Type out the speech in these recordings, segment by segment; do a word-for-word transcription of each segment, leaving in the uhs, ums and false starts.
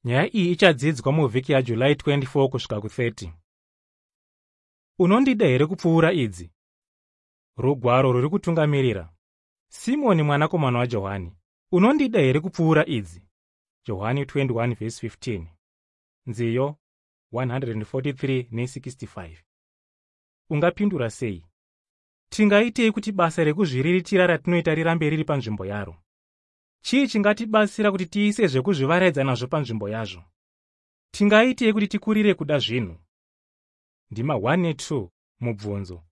Nyaya iyi ichadzidzwa muvhiki yaJuly twenty-four kusvika kuthirty. Unondida here kupfuura idzi? Rugwaro rwuri kutungamirira. Simoni mwanakomana waJohani, unondida here kupfuura idzi? Johani twenty-one verse fifteen. Nziyo one forty-three nesixty-five. Ungapindura sei? Tingaitei kuti basa rekuzviriritira ratinoita rirambe riri panzvimbo yaro? Chii chingatibatsira kuti tiise zvekuzvivaraidza nazvo panzvimbo yazvo? Tingaitei kuti tikurire kuda zvinhu? Ndima one netwo, mubvunzo.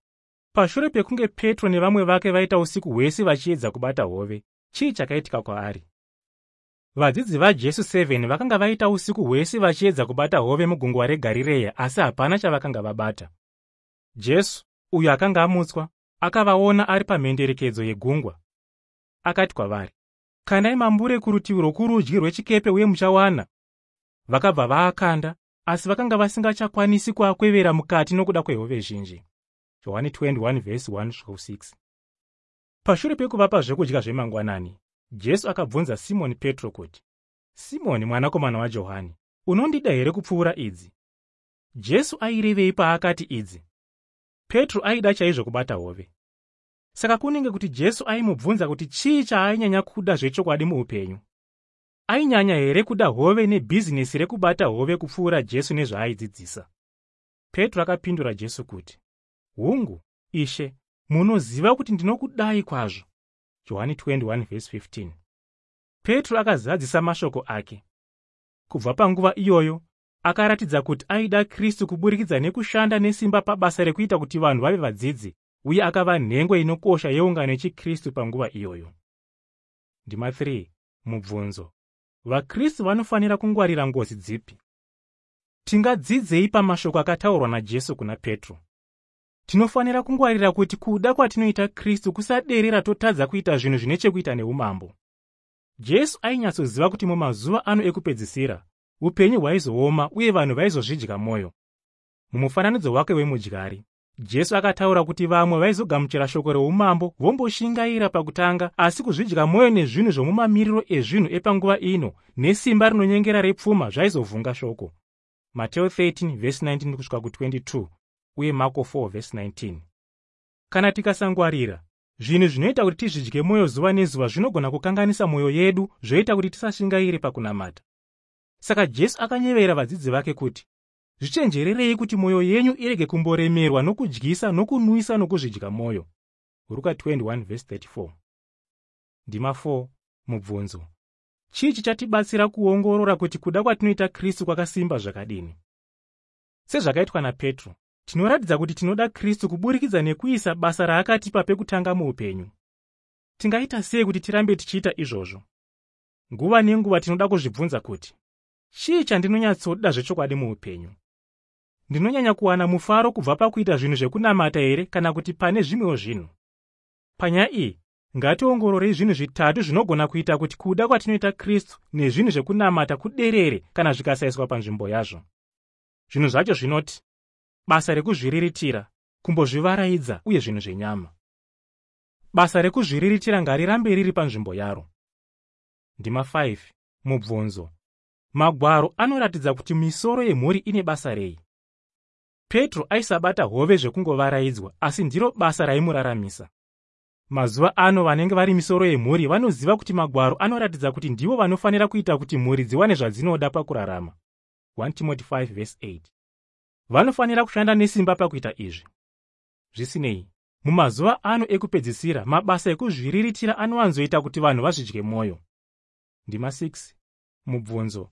Pashure pekunge Petro nevamwe vake vaita usiku hwese vachiedza kubata hove, chii chakaitika kwaari? Vadzidzi vaJesu seven vakanga vaita usiku hwese vachiedza kubata hove mugungwa reGarireya, asi hapana chavakanga vabata. Jesu, uyo akanga amutswa, akavaona ari pamhenderekedzo yegungwa. Akati kwavari, "Kandai mambure kurutivi rwokurudyi rwechikepe uye muchawana." Vakabva vaakanda, asi vakanga vasingachakwanisi kuakwevera mukati nokuda kwehove zhinji. Johani twenty-one verse one six. Pashure pekuvapa zvekudya zvemangwanani, Jesu akabvunza Simoni Petro kuti, "Simoni mwanakomana waJohani, unondida here kupfuura idzi?" Jesu airevei paakati idzi? Petro aida chaizvo kubata hove. Saka kunenge kuti Jesu aimubvunza kuti chii chaainyanya kuda zvechokwadi muupenyu. Ainyanya here kuda hove nebhizinesi rekubata hove kupfuura Jesu nezvaaidzidzisa? Petro akapindura Jesu kuti, "Hungu, Ishe, munoziva kuti ndinokudai kwazvo." Johani twenty-one verse fifteen. Petro akazadzisa mashoko ake. Kubva panguva iyoyo, akaratidza kuti aida Kristu kuburikidza nekushanda nesimba pabasa rekuita kuti vanhu vave vadzidzi, uye akava nhengo inokosha yeungano yechiKristu panguva iyoyo. Ndima three, mubvunzo. VaKristu vanofanira kungwarira ngozi dzipi? Tingadzidzei pamashoko akataurwa naJesu kuna Petro? Tinofanira kungwarira kuti kuda kwatinoita Kristu kusaderera totadza kuita zvinhu zvine chekuita neumambo. Jesu ainyatsoziva kuti mumazuva ano ekupedzisira, upenyu hwaizooma uye vanhu vaizozvidya mwoyo. Mumufananidzo wake wemudyari, Jesu akataura kuti vamwe vaizogamuchira shoko reumambo vomboshingaira pakutanga, asi kuzvidya mwoyo nezvinhu zvomumamiriro ezvinhu epanguva ino nesimba rinonyengera repfuma zvaizovhunga shoko. Mateo thirteen verse nineteen kusvika kutwenty-two uye Marko four verse nineteen. Kana tikasangwarira, zvinhu zvinoita kuti tizvidye mwoyo zuva nezuva zvinogona kukanganisa mwoyo yedu, zvoita kuti tisashingaire pakunamata. Saka Jesu akanyevera vadzidzi vake kuti, "Zvichenjererei kuti mwoyo yenyu irege kumboremerwa nokudyisa nokunwisa nokuzvidya mwoyo." Ruka twenty-one verse thirty-four. Ndima four, mubvunzo. Chii chichatibatsira kuongorora kuti kuda kwatinoita Kristu kwakasimba zvakadini? Sezvakaitwa naPetro, tinoratidza kuti tinoda Kristu kuburikidza nekuisa basa raakatipa pekutanga muupenyu. Tingaita sei kuti tirambe tichiita izvozvo? Nguva nenguva tinoda kuzvibvunza kuti, "Chii chandinonyatsoda zvechokwadi muupenyu? Ndinonyanya kuwana mufaro kubva pakuita zvinhu zvekunamata here kana kuti pane zvimwewo zvinhu?" Panyaya iyi, ngationgororei zvinhu zvitatu zvinogona kuita kuti kuda kwatinoita Kristu nezvinhu zvekunamata kuderere kana zvikasaiswa panzvimbo yazvo. Zvinhu zvacho zvinoti: basa rekuzviriritira, kumbozvivaraidza uye zvinhu zvenyama. Basa rekuzviriritira ngarirambe riri panzvimbo yaro. Ndima five, mubvunzo. Magwaro anoratidza kuti misoro yemhuri ine basa rei? Petro aisabata hove zvekungovaraidzwa, asi ndiro basa raimuraramisa. Mazuva ano, vanenge vari misoro yemhuri vanoziva kuti Magwaro anoratidza kuti ndivo vanofanira kuita kuti mhuri dziwane zvadzinoda pakurarama. one Timothy five verse eight. Vanofanira kushanda nesimba pakuita izvi. Zvisinei, mumazuva ano ekupedzisira, mabasa ekuzviriritira anowanzoita kuti vanhu vazvidye mwoyo. Ndima six, mubvunzo.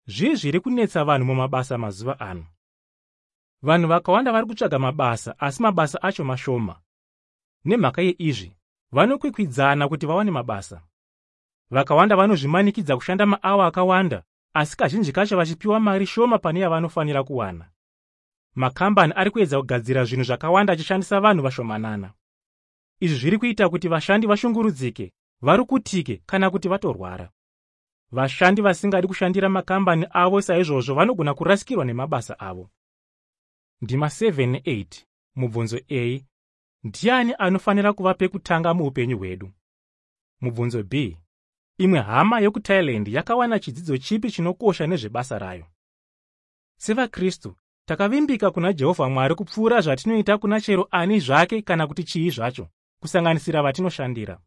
Zvii zviri kunetsa vanhu mumabasa mazuva ano? Vanhu vakawanda vari kutsvaga mabasa, asi mabasa acho mashoma. Nemhaka yeizvi, vanokwikwidzana kuti vawane mabasa. Vakawanda vanozvimanikidza kushanda maawa akawanda, asi kazhinji kacho vachipiwa mari shoma pane yavanofanira kuwana. Makambani ari kuedza kugadzira zvinhu zvakawanda achishandisa vanhu vashomanana. Izvi zviri kuita kuti vashandi vashungurudzike, varukutike kana kuti vatorwara. Vashandi vasingadi kushandira makambani avo saizvozvo vanogona kurasikirwa nemabasa avo. Ndima seven neeight, mubvunzo A. Ndiani anofanira kuva pekutanga muupenyu hwedu? Mubvunzo B. Imwe hama yokuThailand yakawana chidzidzo chipi chinokosha nezvebasa rayo? SevaKristu, takavimbika kuna Jehovha Mwari kupfuura zvatinoita kuna chero ani zvake kana kuti chii zvacho, kusanganisira vatinoshandira.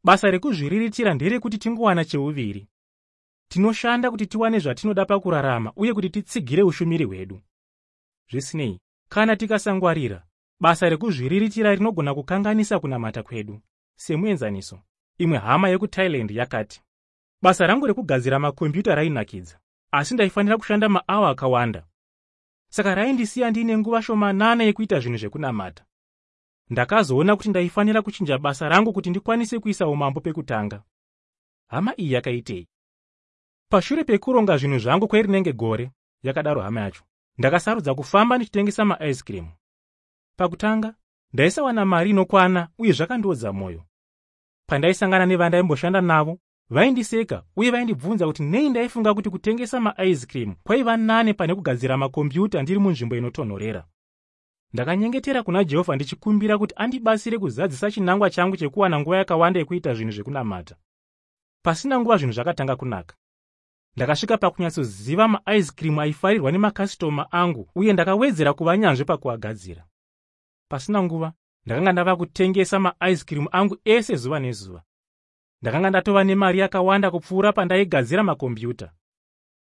Basa rekuzviriritira nderekuti tingowana cheuviri. Tinoshanda kuti tiwane zvatinoda pakurarama uye kuti titsigire ushumiri hwedu. Zvisinei, kana tikasangwarira, basa rekuzviriritira rinogona kukanganisa kunamata kwedu. Semuenzaniso, imwe hama yekuThailand yakati, "Basa rangu rekugadzira makombiyuta rainakidza, asi ndaifanira kushanda maawa akawanda. Saka raindisiya ndiine nguva shomanana yekuita zvinhu zvekunamata. Ndakazoona kuti ndaifanira kuchinja basa rangu kuti ndikwanise kuisa umambo pekutanga." Hama iyi yakaitei? "Pashure pekuronga zvinhu zvangu kwerinenge gore," yakadaro hama yacho, "ndakasarudza kufamba ndichitengesa maice cream. Pakutanga, ndaisawana mari inokwana uye zvakandiodza mwoyo. Pandaisangana nevandaimboshanda navo, vaindiseka uye vaindibvunza kuti nei ndaifunga kuti kutengesa maice cream kwaiva nane pane kugadzira makombiyuta ndiri munzvimbo inotonhorera. Ndakanyengetera kuna Jehovha ndichikumbira kuti andibatsire kuzadzisa chinangwa changu chekuwana nguva yakawanda yekuita zvinhu zvekunamata. Pasina nguva zvinhu zvakatanga kunaka. Ndakasvika pakunyatsoziva maice cream aifarirwa nemakasitoma angu uye ndakawedzera kuva nyanzvi pakuagadzira. Pasina nguva, ndakanga ndava kutengesa maice cream angu ese zuva nezuva. Ndakanga ndatova nemari yakawanda kupfuura pandaigadzira makombiyuta.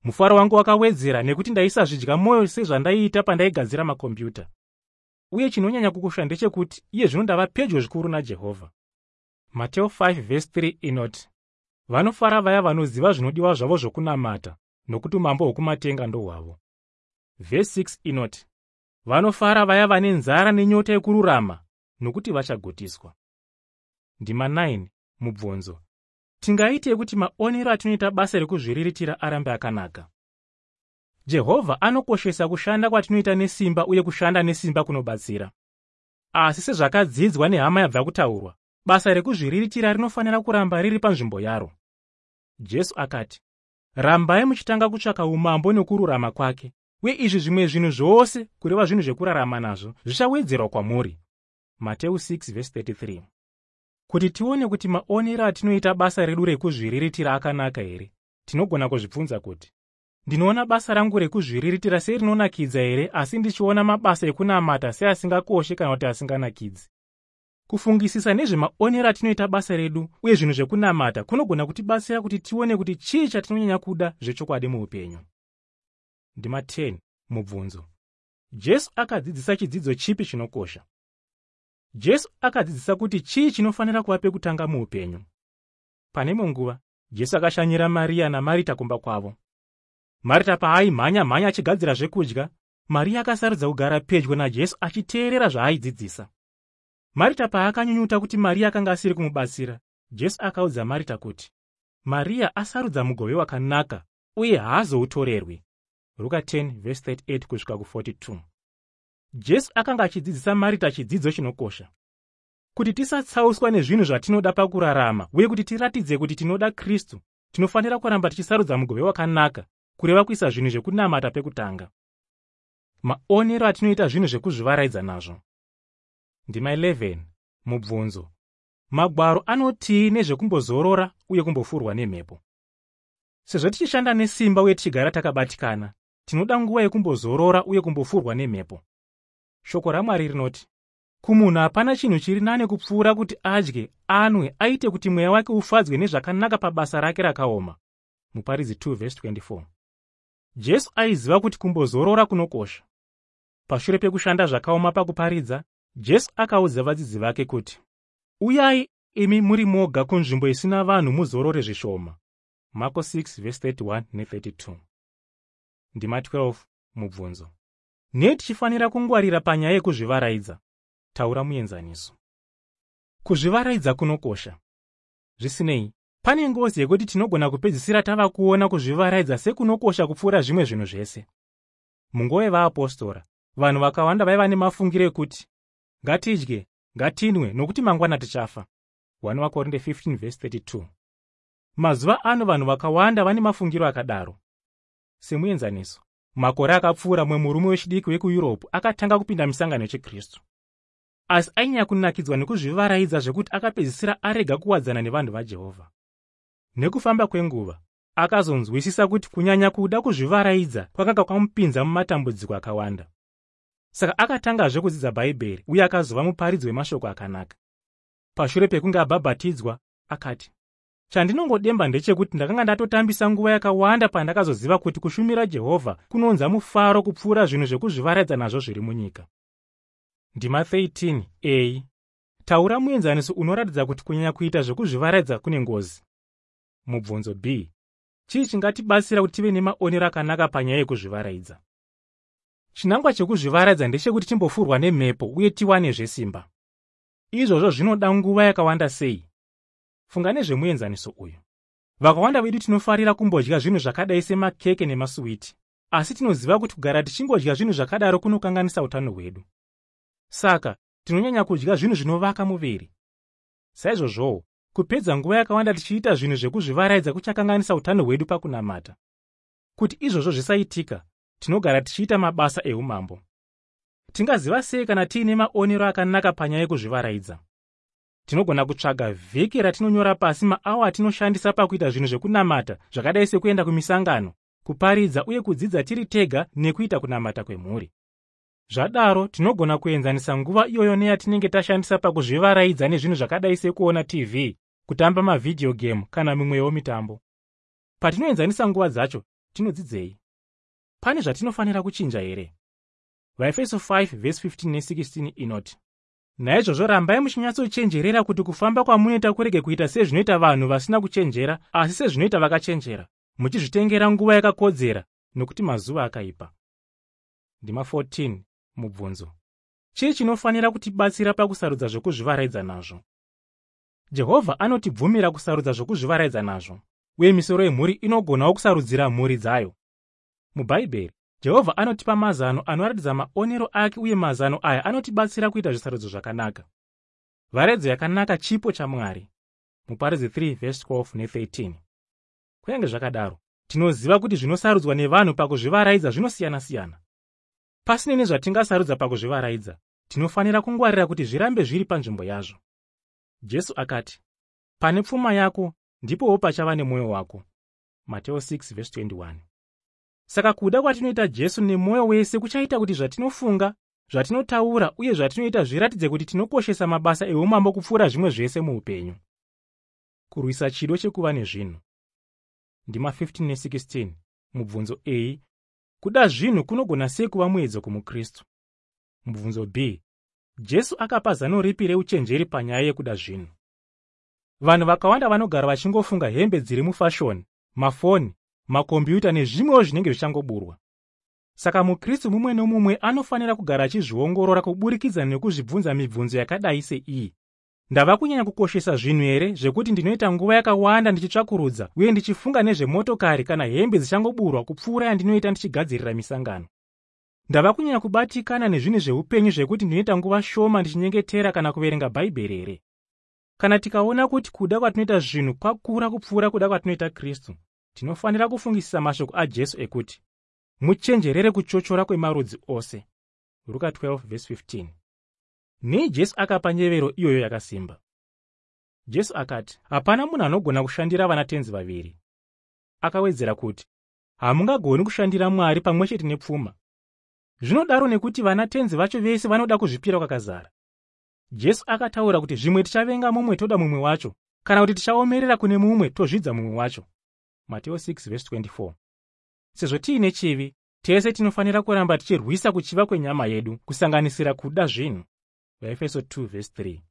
Mufaro wangu wakawedzera nekuti ndaisazvidya mwoyo sezvandaiita pandaigadzira makombiyuta. Uye chinonyanya kukosha ndechekuti iye zvino ndava pedyo zvikuru naJehovha." Mateo five verse three inoti, "Vanofara vaya vanoziva zvinodiwa zvavo zvokunamata, nokuti umambo hwokumatenga ndohwavo." Vhesi six inoti, "Vanofara vaya vane nzara nenyota yekururama, nokuti vachagutiswa." Ndima nine mubvunzo. Tingaitei kuti maonero atinoita basa rekuzviriritira arambe akanaka? Jehovha anokoshesa kushanda kwatinoita nesimba uye kushanda nesimba kunobatsira. Asi sezvakadzidzwa nehama yabva kutaurwa, basa rekuzviriritira rinofanira kuramba riri panzvimbo yaro. Jesu akati, "Rambai muchitanga kutsvaka umambo nekururama kwake, uye izvi zvimwe zvinhu zvose, kureva zvinhu zvekurarama nazvo, zvichawedzerwa kwamuri." Mateu six verse thirty-three. Kuti tione kuti maonero atinoita basa redu rekuzviriritira akanaka here, tinogona kuzvibvunza kuti, "Ndinoona basa rangu rekuzviriritira serinonakidza here, asi ndichiona mabasa ekunamata seasingakoshi kana kuti asinganakidzi?" Kufungisisa nezvemaonero atinoita basa redu uye zvinhu zvekunamata kunogona kutibatsira kuti tione kuti chii chatinonyanya kuda zvechokwadi muupenyu. Ndima ten mubvunzo. Jesu akadzidzisa chidzidzo chipi chinokosha? Jesu akadzidzisa kuti chii chinofanira kuva pekutanga muupenyu? Pane imwe nguva, Jesu akashanyira Mariya naMarita kumba kwavo. Marita paaimhanya-mhanya achigadzira zvekudya, Mariya akasarudza kugara pedyo naJesu achiteerera zvaaidzidzisa. Marita paakanyunyuta kuti Mariya akanga asiri kumubatsira, Jesu akaudza Marita kuti, "Mariya asarudza mugove wakanaka uye haazoutorerwi." Ruka ten verse thirty-eight kusvika kuforty-two. Jesu akanga achidzidzisa Marita chidzidzo chinokosha. Kuti tisatsauswa nezvinhu zvatinoda pakurarama uye kuti tiratidze kuti tinoda Kristu, tinofanira kuramba tichisarudza mugove wakanaka, kureva kuisa zvinhu zvekunamata pekutanga. Maonero atinoita zvinhu zvekuzvivaraidza nazvo. Ndima eleven mubvunzo. Magwaro anotii nezvekumbozorora uye kumbofurwa nemhepo? Sezvo tichishanda nesimba uye tichigara takabatikana, tinoda nguva yekumbozorora uye kumbofurwa nemhepo. Shoko raMwari rinoti, "Kumunhu hapana chinhu chiri nane kupfuura kuti adye, anwe, aite kuti mweya wake ufadzwe nezvakanaka pabasa rake rakaoma." Muparidzi two verse twenty-four. Jesu aiziva kuti kumbozorora kunokosha. Pashure pekushanda zvakaoma pakuparidza, Jesu akaudza vadzidzi vake kuti, "Uyai imi muri moga kunzvimbo isina vanhu muzorore zvishoma." Marko six verse thirty-one nethirty-two. Ndima twelve mubvunzo. Nei tichifanira kungwarira panyaya yekuzvivaraidza? Taura muenzaniso. Kuzvivaraidza kunokosha. Zvisinei, pane ngozi yekuti tinogona kupedzisira tava kuona kuzvivaraidza sekunokosha kupfuura zvimwe zvinhu zvese. Munguva yevaapostora, vanhu vakawanda vaiva nemafungiro ekuti, "Ngatidye, ngatinwe, nokuti mangwana tichafa." one vaKorinde fifteen verse thirty-two. Mazuva ano vanhu vakawanda vane mafungiro akadaro. Semuenzaniso, makore akapfuura mumwe murume wechidiki wekuEurope akatanga kupinda misangano yechikristu, asi ainyanya kunakidzwa nekuzvivaraidza zvekuti akapedzisira arega kuwadzana nevanhu vaJehovha. Nekufamba kwenguva, akazonzwisisa kuti kunyanya kuda kuzvivaraidza kwakanga kwamupinza mumatambudziko akawanda. Saka akatangazve kudzidza Bhaibheri uye akazova muparidzi wemashoko akanaka. Pashure pekunge abhabhatidzwa, akati, "Chandinongodemba ndechekuti ndakanga ndatotambisa nguva yakawanda pandakazoziva kuti kushumira Jehovha kunounza mufaro kupfuura zvinhu zvekuzvivaraidza nazvo zviri munyika." Ndima thirteen a. Taura muenzaniso unoratidza kuti kunyanya kuita zvekuzvivaraidza kune ngozi. Mubvunzo B. Chii chingatibatsira kuti tive nemaonero akanaka panyaya yekuzvivaraidza? Chinangwa chekuzvivaraidza ndechekuti timbofurwa nemhepo uye tiwanezve simba. Izvozvo zvinoda nguva yakawanda sei? Funga nezvemuenzaniso uyu. Vakawanda vedu tinofarira kumbodya zvinhu zvakadai semakeke nemasuwiti, asi tinoziva kuti kugara tichingodya zvinhu zvakadaro kunokanganisa utano hwedu. Saka tinonyanya kudya zvinhu zvinovaka muviri. Saizvozvowo, kupedza nguva yakawanda tichiita zvinhu zvekuzvivaraidza kuchakanganisa utano hwedu pakunamata. Kuti izvozvo zvisaitika, tinogara tichiita mabasa eumambo. Tingaziva sei kana tiine maonero akanaka panyaya yekuzvivaraidza? Tinogona kutsvaga vhiki ratinonyora pasi maawa atinoshandisa pakuita zvinhu zvekunamata zvakadai sekuenda kumisangano, kuparidza uye kudzidza tiri tega nekuita kunamata kwemhuri. Zvadaro, tinogona kuenzanisa nguva iyoyo neyatinenge tashandisa pakuzvivaraidza nezvinhu zvakadai sekuona T V, kutamba mavhidhiyo game kana mimwewo mitambo. Patinoenzanisa nguva dzacho, tinodzidzei? Pane zvatinofanira kuchinja here? VaEfeso five verse fifteen ne sixteen inoti, "Naizvozvo rambai muchinyatsochenjerera kuti kufamba kwamunoita kurege kuita sezvinoita vanhu vasina kuchenjera, asi sezvinoita vakachenjera, muchizvitengera nguva yakakodzera, nokuti mazuva akaipa." Ndima fourteen. Mubvunzo. Chii chinofanira kutibatsira pakusarudza zvokuzvivaraidza nazvo? Jehovha anotibvumira kusarudza zvokuzvivaraidza nazvo, uye misoro yemhuri inogonawo kusarudzira mhuri dzayo. MuBhaibheri, Jehovha anotipa mazano anoratidza maonero ake uye mazano aya anotibatsira kuita zvisarudzo zvakanaka. Varaidzo yakanaka chipo chaMwari. Muparidzi three verse twelve ne thirteen. Kunyange zvakadaro, tinoziva kuti zvinosarudzwa nevanhu pakuzvivaraidza zvinosiyana-siyana. Pasinei nezvatingasarudza pakuzvivaraidza, tinofanira kungwarira kuti zvirambe zviri panzvimbo yazvo. Jesu akati, "Pane pfuma yako ndipowo pachava nemwoyo wako." Mateo six verse twenty-one. Saka kuda kwatinoita Jesu nemwoyo wese kuchaita kuti zvatinofunga, zvatinotaura uye zvatinoita zviratidze kuti tinokoshesa mabasa eumambo kupfuura zvimwe zvese muupenyu. Kurwisa chido chekuva nezvinhu. Ndima fifteen ne sixteen. Mubvunzo A. Kuda zvinhu kunogona sei kuva muedzo kumuKristu? Mubvunzo B. Jesu akapa zano ripi reuchenjeri panyaya yekuda zvinhu? Vanhu vakawanda vanogara vachingofunga hembe dziri mufashoni, mafoni, makombiyuta nezvimwewo zvinenge zvichangoburwa. Saka muKristu mumwe nomumwe anofanira kugara achizviongorora kuburikidza nekuzvibvunza mibvunzo yakadai seiyi. Ndava kunyanya kukoshesa zvinhu here zvekuti ndinoita nguva yakawanda ndichitsvakurudza uye ndichifunga nezvemotokari kana hembe dzichangoburwa kupfuura yandinoita ndichigadzirira misangano? Ndava kunyanya kubatikana nezvinhu zveupenyu zvekuti ndinoita nguva shoma ndichinyengetera kana kuverenga Bhaibheri here? Kana tikaona kuti kuda kwatinoita zvinhu kwakura kupfuura kuda kwatinoita Kristu, tinofanira kufungisisa mashoko aJesu ekuti, "Muchenjerere kuchochora kwemarudzi ose." Ruka twelve verse fifteen. Nei Jesu akapa nyevero iyoyo yakasimba? Jesu akati, "Hapana munhu anogona kushandira vanatenzi vaviri." Akawedzera kuti, "Hamungagoni kushandira Mwari pamwe chete nepfuma." Zvinodaro nekuti vanatenzi vacho vese vanoda kuzvipira kwakazara. Jesu akataura kuti zvimwe tichavenga mumwe toda mumwe wacho, kana kuti tichaomerera kune mumwe tozvidza mumwe wacho. Mateo six verse twenty-four. Sezvo tiine chivi, tese tinofanira kuramba tichirwisa kuchiva kwenyama yedu, kusanganisira kuda zvinhu. VaEfeso two verse three.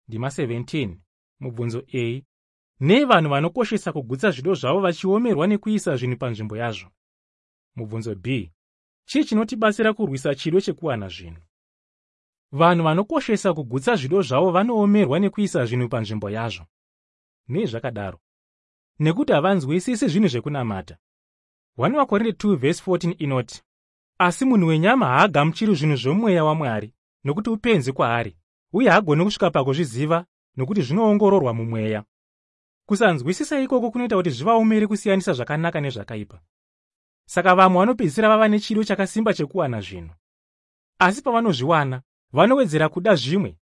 Ndima seventeen. Mubvunzo A. Nei vanhu vanokoshesa kugutsa zvido zvavo vachiomerwa nekuisa zvinhu panzvimbo yazvo? Mubvunzo B. Chii chinotibatsira kurwisa chido chekuwana zvinhu? Vanhu vanokoshesa kugutsa zvido zvavo vanoomerwa nekuisa zvinhu panzvimbo yazvo. Nei zvakadaro? Nekuti havanzwisisi zvinhu zvekunamata. one Vakorinde two verse fourteen inoti, "Asi munhu wenyama haagamuchiri zvinhu zvomweya waMwari, nokuti upenzi kwaari, uye haagoni kusvika pakuzviziva, nokuti zvinoongororwa mumweya." Kusanzwisisa ikoko kunoita kuti zvivaomere kusiyanisa zvakanaka nezvakaipa. Saka vamwe vanopedzisira vava nechido chakasimba chekuwana zvinhu. Asi pavanozviwana, vanowedzera kuda zvimwe.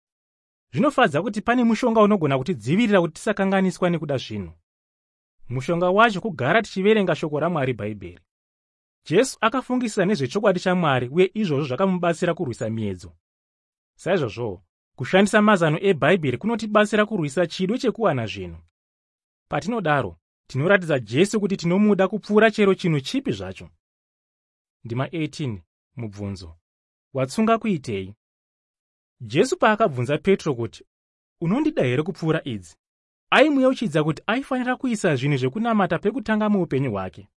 Zvinofadza kuti pane mushonga unogona kutidzivirira kuti tisakanganiswa nekuda zvinhu. Mushonga wacho kugara tichiverenga shoko raMwari, Bhaibheri. Jesu akafungisisa nezvechokwadi chaMwari, uye izvozvo zvakamubatsira kurwisa miedzo. Saizvozvowo, kushandisa mazano eBhaibheri kunotibatsira kurwisa chido chekuwana zvinhu. Patinodaro, tinoratidza Jesu kuti tinomuda kupfuura chero chinhu chipi zvacho. Ndima eighteen. Mubvunzo: Watsunga kuitei? Jesu paakabvunza Petro kuti, "Unondida here kupfuura idzi?" aimuyeuchidza kuti aifanira kuisa zvinhu zvekunamata pekutanga muupenyu hwake.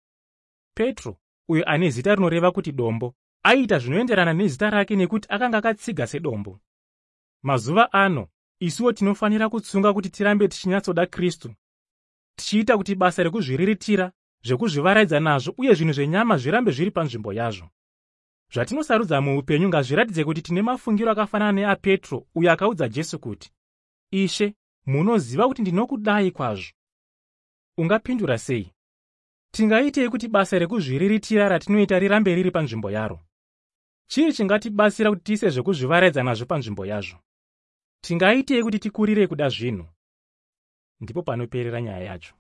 Petro, uyo ane zita rinoreva kuti dombo, aiita zvinoenderana nezita rake nekuti akanga akatsiga sedombo. Mazuva ano, isuwo tinofanira kutsunga kuti tirambe tichinyatsoda Kristu, tichiita kuti basa rekuzviriritira, zvekuzvivaraidza nazvo uye zvinhu zvenyama zvirambe zviri panzvimbo yazvo. Zvatinosarudza muupenyu ngazviratidze kuti tine mafungiro akafanana neaPetro, uyo akaudza Jesu kuti, "Ishe, munoziva kuti ndinokudai kwazvo." Ungapindura sei? Tingaitei kuti basa rekuzviriritira ratinoita rirambe riri panzvimbo yaro? Chii chingatibatsira kuti tiise zvekuzvivaraidza nazvo panzvimbo yazvo? Tingaitei kuti tikurire kuda zvinhu? Ndipo panoperera nyaya yacho.